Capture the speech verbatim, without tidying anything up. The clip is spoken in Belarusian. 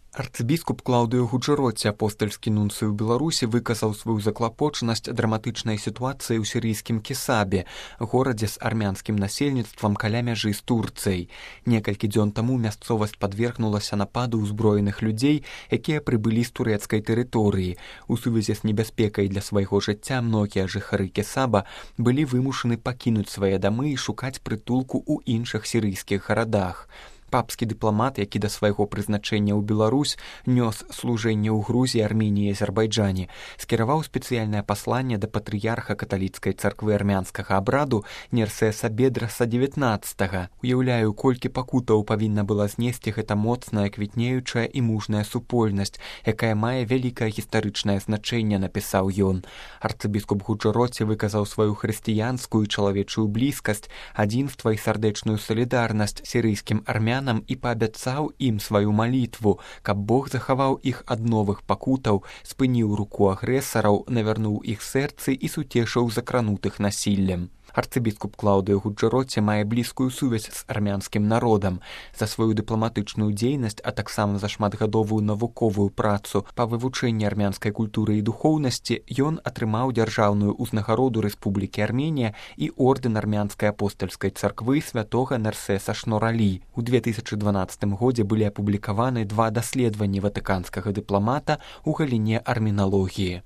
Арцыбіскуп Клаўдыё Гуджэроці, апостальскі нунцый у Беларусі, выказаў сваю заклапочанасць драматычнай сітуацыі ў сірыйскім Кесабе, горадзе з армянскім насельніцтвам каля мяжы з Турцыяй. Некалькі дзён таму мясцовасць падвергнулася нападу ўзброеных людзей, якія прыбылі з турэцкай тэрыторыі. У сувязі з небяспекай для свайго жыцця многія жыхары Кесаба былі вымушаны пакінуць свае дамы і шукаць прытулку ў іншых сірыйскіх гарадах. Папскі дыпламат, які да свайго прызначэння ў Беларусь нёс служэнне ў Грузіі, Арменіі і Азербайджане, скіраваў спецыяльнае пасланне да патрыярха каталіцкай царквы армянскага абраду Нерсеса Бедраса дзевятнаццатага. Уяўляю, колькі пакутаў павінна была знесці гэта моцная, квітнеючая і мужная супольнасць, якая мае вялікае гістарычнае значэнне, напісаў ён. Арцыбіскуп Гуджэроці выказаў сваю хрысціянскую і чалавечую блізкасць, адзінства і сардэчную салідарнасць сірыйскім армянам і паабяцаў ім сваю малітву, каб Бог захаваў іх ад новых пакутаў, спыніў руку агрэсараў, навярнуў іх сэрцы і суцешыў закранутых насіллем. Арцыбіскуп Клаўдыё Гуджэроці мае блізкую сувязь з армянскім народам. За сваю дыпламатычную дзейнасць, а таксама за шматгадовую навуковую працу па вывучэнні армянскай культуры і духоўнасці ён атрымаў дзяржаўную ўзнагароду Рэспублікі Арменія і ордэн армянскай апостальскай царквы святога Нерсеса Шноралі. У две тысячы дванаццатым годзе былі апублікаваны два даследаванні ватыканскага дыпламата ў галіне арменалогіі.